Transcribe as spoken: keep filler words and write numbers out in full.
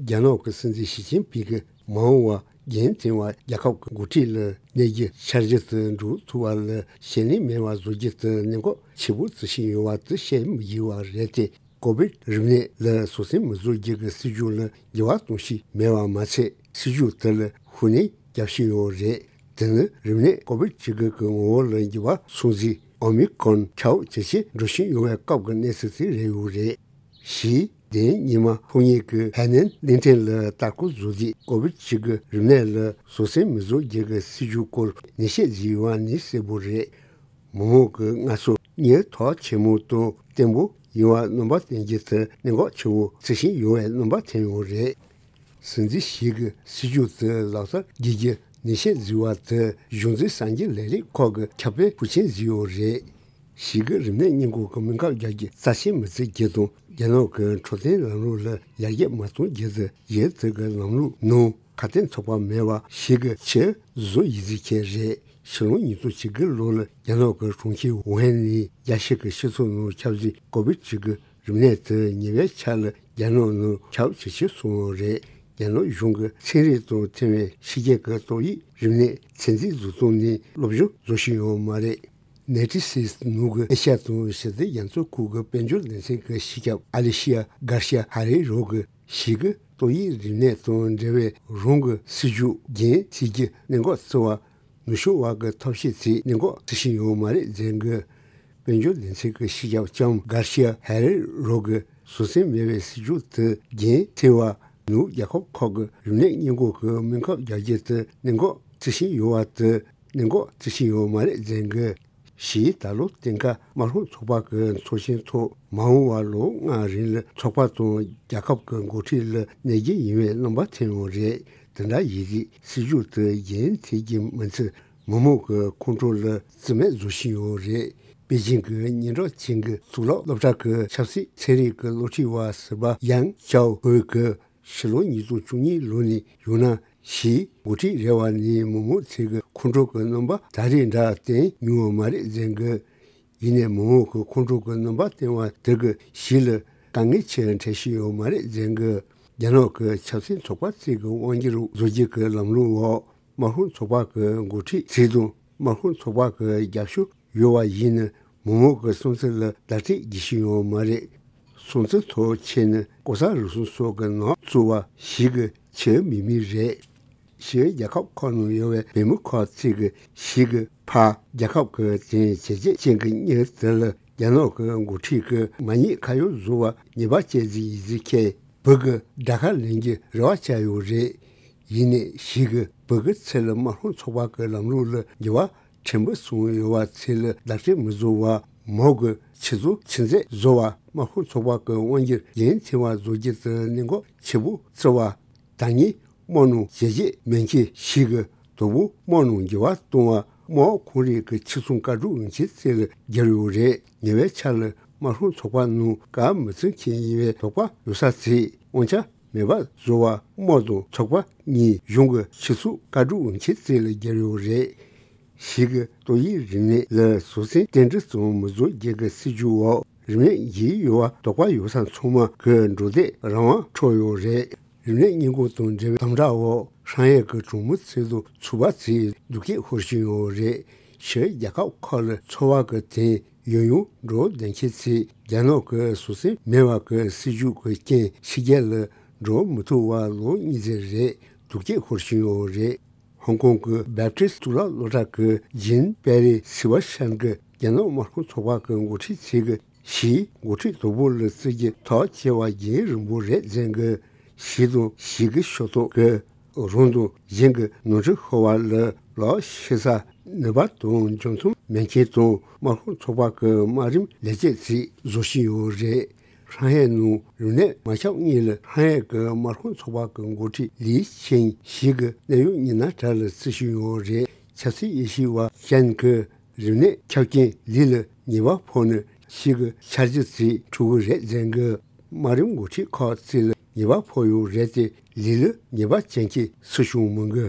རྒྱ་ནག་གི་སྲིད་འཛིན་ཞི་ཅིན་ཕིང་གིས་མ་འོངས་པར་རྒྱུན་མཐུད་པར་རྒྱལ་ཁབ་ཀྱི་འགོ་ཁྲིད་ལ་གནས་རྒྱུ་འཆར་གཞི་དེ་འགྲུབ་ཐུབ་པ་ལ་ཞེད་སྣང་མེད་པར་བཟོ་རྒྱུ་དེ་གནད་འགག་ཆེ་པོ་བརྩི་བཞིན་ཡོད་པ་དེ་བཤད་མི་དགོས་པ་རེད་དེ། ཀོ་བིད་རིམས་ནད་ལ་བཟོད་བསྲན་མི་བཟོ་རྒྱུ་གི་སྲིད་ཇུས་ལ་འགྱུར་བ་གཏོང་བཞིན་མེད་པ་མ་ཚད། སྲིད་ཇུས་དེ་ལ་ཤུགས་སྣོན་རྒྱག་བཞིན་ཡོད་རེད། དེ་ནི་རིམས་ནད་ཀོ་བིད་བཅུ་དགུ་གི་ངོ་བོ་ལ་འགྱུར་བ་སོང་རྗེས་ཨོ་མི་ཀྲོན་ཁྱབ་ཇེ་ཆེར་འགྲོ་བཞིན་ཡོད་པའི་སྐབས་ཀྱི་གནས་ཚུལ་དེ་རེད་ཡོད་རེད། ཞི་ཅིན་ཕིང་ཉི་མ་ཕོ་ཉིད་ཀྱི་ཧའེ་ནན་གླིང་ཕྲན་ལ་ལྟ་སྐོར་བཟོ་དུས་ཀོ་བིད་བཅུ་དགུ་རིམས་ནད་ལ་བཟོད་བསྲན་མི་བཟོ་རྒྱུ་གི་སྲིད་ཇུས་སྐོར་ནན་བཤད་བྱས་ཡོད་པ་ནི་གསལ་པོ་རེད། མི་མང་གི་སྔར་སྲོལ་གཉིས་ཐག་ཆོད་པོ་དང་བརྟན་པོ་ཡིན་པར་རྣམ་པ་བསྟན་རྒྱུ་དེ་གནད་འགག་ཆེ་བོ་བརྩི་བཞིན་ཡོད་པའི་རྣམ་པ་ཐོན་ཡོད་རེད། སྲིད་འཛིན་ཞི་གི་སྲིད་ཇུས་དེ་ལག་བསྟར་བགྱིད་རྒྱུ་ནན་བཤད་བྱས་པ་དེ་གཞུང་འཛིན་གསར་འགྱུར་ལས་རིགས་ཁག་གི་ཁྱབ་སྤེལ་ཤུགས་ཆེན་བྱས་ཡོད་རེད། ཞི་གི་རིམས་ནད་སྔོན་འགོག་གི་སྨན་ཁབ་རྒྱག་རྒྱུ་རྩ་ཆེན་མི་བརྩི་རྒྱུ་དང་། རྒྱ་ནག་གི་འཕྲོད་བསྟེན་ལམ་ལུགས་ལ་ཡར་རྒྱས་མ་གཏོང་རྒྱུ་དེ་ཡུལ་དེ་གི་ལམ་ལུགས་ནང་ཁ་གཏན་ཚུགས་པ་མེད་པ་ཞི་གི་ཆེས་བཟོ་ཡིད་ཆེས་ཁེལ་རེད། ཕྱི་ལོ་ཉིས་སྟོང་བཅུ་དགུ་ལོ་ལ་རྒྱ་ནག་གི་གྲོང་ཁྱེར་ཝུ་ཧན་ནས་རྒྱལ་སྤྱི་གི་སྤྱི་ཚོགས་ནང་ཁྱབ་ཟིན་ཀོ་བིད་བཅུ་དགུ་རིམས་ནད་དེ་ཉེ་བའི་ཆར་ལ་རྒྱ་ནག་ནང་ཁྱབ་ཇེ་ཆེར་སོང་བ་རེད། རྒྱ་ནག་གཞུང་གི་ཚན་རིག་དང་མཐུན་པའི་ཕྱི་རྒྱལ་གྱི་ཏོག་དབྱིབས་རིམས་ནད་ཚོད་འཛིན་བཟོ་སྟངས་ནས་སློབ་སྦྱོང་བཟོ་བཞིན་ཡོད་མ་རེད། ནེ་ཊི་སིས་ནང་གི་ཨེ་ཤ་ཡ་དང་ཞི་བདེ་རྒྱ་མཚོའི་ཁུལ་གྱི་དཔལ་འབྱོར་སྡེ་ཚན་གྱི་སྤྱི་ཁྱབ་ཨ་ལི་ཤི་ཡ་གར་ཤི་ཡ་ཧེ་རེ་རོ་གིས་ཞི་གི་ཏོག་དབྱིབས་རིམས་ནད་དང་འབྲེལ་བའི་རང་གི་སྲིད་ཇུས་རྒྱུན་མཐུད་རྒྱུ་གནད་འགག་བརྩི་བ། ནུབ་ཕྱོགས་དབར་གྱི་ཐབས་ཤེས་དེ་གནད་འགག་བརྩི་བཞིན་ཡོད་མ་རེད་ཟེར་གི། དཔལ་འབྱོར་སྡེ་ཚན་གྱི་སྤྱི་ཁྱབ་ལྕམ་གར་ཤི་ཡ་ཧེ་རེ་རོ་གིས་བཟོད་བསྲན་མེད་པའི་སྲིད་ཇུས་དེ་རྒྱུན་མཐུད་པ། ནུབ་རྒྱལ་ཁབ་ཁག་གི་རིམས་ནད་སྔོན་འགོག་གི་སྨན་ཁབ་རྒྱག་རྒྱུ་དེ་གནད་འགག་བརྩི་བཞིན་ཡོད་པ་དེ་གནད་འགག་བརྩི་བཞིན་ཡོད་མ་རེད་ཟེར་གི། ཞི་ད་ལོ་སྟོན་ཁ་དམར་ཤོག་ཚོགས་པ་གི་ཚོགས་ཆེན་ཐོག་མ་འོངས་པར་ལོ་ལྔ་རིང་ལ་ཚོགས་པ་དང་རྒྱལ་ཁབ་ཀྱི་འགོ་ཁྲིད་ལ་གནས་རྒྱུ་ཡིན་པའི་རྣམ་པ་ཐོན་ཡོད་རེད། དེ་འདྲ་ཡིན་དུས་སྲིད་ཇུས་དེ་རྒྱུན་མཐུད་ཀྱི་མི་ཚད་མི་མང་གི་ཁོང་ཁྲོ་ལ་རྩིས་མེད་བཟོ་བཞིན་ཡོད་རེད། པེ་ཅིང་གི་སྙན་གྲགས་ཅན་གྱི་གཙུག་ལག་སློབ་གྲྭ་གི་ཆབ་སྲིད་ཚན་རིག་གི་སློབ་ཁྲིད་པ་ཟུར་པ་ཡང་ཅའོ་ཧུའེ་གིས། ཕྱི་ལོ་ཉིས་སྟོང་བཅུ་གཉིས་ལོ་ནས་ཡོང་ན་ཞིའི་འགོ་ཁྲིད་རེ་བ་ནི་མི་མང་ཚོས་ཀྱི་ཁོང་ཁྲོ་གི་རྣམ་པ་ད་རེས་འདྲ་བསྟན་མྱོང་བ་མ་རེད་ཟེར་གི། ཡིན་ནའི་མི་མང་གི་ཁོང་ཁྲོ་གི་རྣམ་པ་བསྟན་པ་དེ་གི་ཞི་ལ་དཀའ་ངལ་ཆེ་འཕྲད་བཞིན་ཡོད་མ་རེད་ཟེར་གི། རྒྱ་ནག་གི་ཆབ་སྲིད་ཚོགས་པ་ཚོས་ཀྱི་དབང་སྒྱུར་བཟོ་རྒྱུ་གི་ལམ་ལུགས་འོག་དམར་ཤོག་ཚོགས་པ་གི་འགོ་ཁྲིད་ཚོས་དང་དམར་ཤོག་ཚོགས་པ་གི་རྒྱབ་སྐྱོར་ཡོད་པ་ཡིན་ན་མི་མང་གི་བསམ་ཚུལ་ལ་བརྡ་སྤྲོད་བགྱི་བཞིན་ཡོད་མ་རེད། སོང་ཙི་ཐོག་ཆེ་ནི་ལྐོག་ཟ་རུལ་སུངས་སོགས་ཀྱི་ནང་བཙུགས་པ་ཞིག་གི་ཆེས་མི་མི་རེད། ཞི་རྒྱལ་ཁབ་ཁག་ནང་ཡོད་པའི་བོད་མི་ཁག་ཅིག་གིས་ཞིག་གི་ཕར་རྒྱལ་ཁབ་ཀྱི་དེང་བྱས་རྗེས་ཅན་གྱི་མྱི་དེ་ལ་རྒྱ་ནག་གི་འགོ་ཁྲིད་ཀྱི་མ་ཉེས་ཁ་གཡོག་བཟོ་བ་ཉེས་པ་བཅད་རྩིས་ཡིན་ཟིག་ཁྱེད་བོད་ཀྱི་དགྲ་ཁ་ལེན་གྱི་རེ་བ་བཅའ་ཡོད་རེད། ཡིན་ནའི་ཞིག་གི་བོད་ཀྱི་ཚེ་ལ་དམར་ཤོག་ཚོགས་པ་གི་ལམ་ལུགས་ལ་འགྱུར་བ་ཕྲན་བུ་སོང་ཡོད་པ་ཚོ་ལ་བརྡ་སྤྲོད་མི་བཟོ་བར་མོ་གི་ཆེད་དུ་ཆི་མཛད་བཟོ་བ་དམར་ཤོག་ཚོགས་པ་གི་དབང་སྒྱུར་རྒྱུན་མཐུད་པ་བཟོ་རྒྱུ་དེ་གནད་འགག་ཆེ་པོ་བརྩི་བ། ད་ངས་དམག་ནང་ཞལ་འབྱེད་མེད་མཁན་ཞིག་གི་དོ་པོ་དམག་ནང་འགྱུར་བ་གཏོང་བ་དམག་ཁོང་རའི་གི་ཆེད་སོང་བཀའ་སྒྲུབ་འོས་ཆེན་རྩེ་ལ་བསྒྱུར་ཡོད་རེད། ཉེ་བའི་ཆར་ལ་དམར་ཤོག་ཚོགས་པ་ནང་བཀའ་མི་བརྩི་མཁན་ཡིན་པའི་དོགས་པ་ཡོད་ས་ཚོས་དབང་ཆ་མེད་པ་བཟོ་བ་དམག་དང་ཚོགས་པ་གཉིས་གཞུང་གི་ཆེད་སོང་བཀའ་སྒྲུབ་འོས་ཆེན་རྩེ་ལ་བསྒྱུར་ཡོད་རེད། ཞིག་གི་ཏོག་དབྱིབས་རིམས་ནད་ལ་བཟོད་བསྲན་ཏན་ཏིག་ཙམ་མི་བཟོ་རྒྱུ་གི་སྲིད་ཇུས་འོག་རིམས་ནད་འགོས་ཡོད་པ་དོགས་པ་ཡོད་ས་ཚང་མ་གི་འགྲོ་སྡོད་རང་དབང་འཕྲོག་ཡོད་རེད། རིམས་ནད་སྔོན་འགོག་དང་འབྲེལ་བའི་དམ་དྲག་འོག་ཧྲང་ཧའེ་གི་གྲོང་མི་ཚོ་དང་ཚོགས་པ་ཚོས་སྡུག་སྐད་ཤོར་བཞིན་ཡོད་རེད། ཕྱིར་རྒྱལ་ཁབ་ཁག་ལ་འཚོ་བ་གི་དོན་ཡང་ཡང་འགྲོ་བསྡད་མཁན་ཚོས་རྒྱ་ནག་གི་བཟོད་བསྲན་མེད་པ་གི་སྲིད་ཇུས་ཀྱི་རྐྱེན་ཕྱི་རྒྱལ་ལ་འགྲོ་མི་ཐུབ་པ་ལོ་གཉིས་ཙམ་རེད། སྡུག་སྐད་ཤོར་བཞིན་ཡོད་རེད། ཧོང་ཀོང་གི་བེབ་ཏིས་གཙུག་ལག་སློབ་གྲྭ་གི་ཇིན་པེ་རི་སི་བ་ཤན་གྱིས་རྒྱ་ནག་དམར་ཤོག་ཚོགས་པ་གི་འགོ་ཁྲིད་ཚོས་ཀྱི་ཞིའི་འགོ་ཁྲིད་དོ་པོ་ལ་བརྩི་རྒྱུ་ཐག་བཅད་པ་རྒྱུན་རིང་པོ་རེད་ཟེར་གི། ཞི་དང་ཞི་གི་ཤོག་ཐོག་གི་རང་དང་གཞན་གྱི་ནོར་འཁྲུལ་ཤོར་བ་ལ་ལག་ཤེས་ས་ནུས་པ་དང་འཇོན་ཐང་མེད་མཁན་དང་དམར་ཤོག་ཚོགས་པ་གི་དམའ་རིམ་ལས་བྱེད་ཚོས་བཟོ་བཞིན་ཡོད་རེད། ཧྲང་ཧའེ་ནང་རིམས་ནད་མ་ཁྱབ་སྔོན་ལ་ཧྲང་ཧའེ་གི་དམར་ཤོག་ཚོགས་པ་གི་འགོ་ཁྲིད་ལི་ཆིང་ཞི་གི་གནད་གཡོག་ཉི་ན་དྲ་ལ་བརྩི་བཞིན་ཡོད་རེད། ཆབ་སྲིད་དབྱེ་ཞིབ་པ་ཅན་གྱིས་རིམས་ནད་ཁྱབ་རྐྱེན་ལི་ལ་ཉེས་པ་ཕོག་ནས་ཞི་གི་འཆར་གཞི་ཚོ་འཁྲུག་གི་རེད་ཟེར་གི། དམའ་རིམ་འགོ་ཁྲིད་ཁག་ཚོ་ལ་ཉེས་པ་ཕོག་ཡོད་རེད་དེ་ལི་ལ་ཉེས་པ་ཅན་གྱི་སྲིད་གཞུང་མི་དགོས།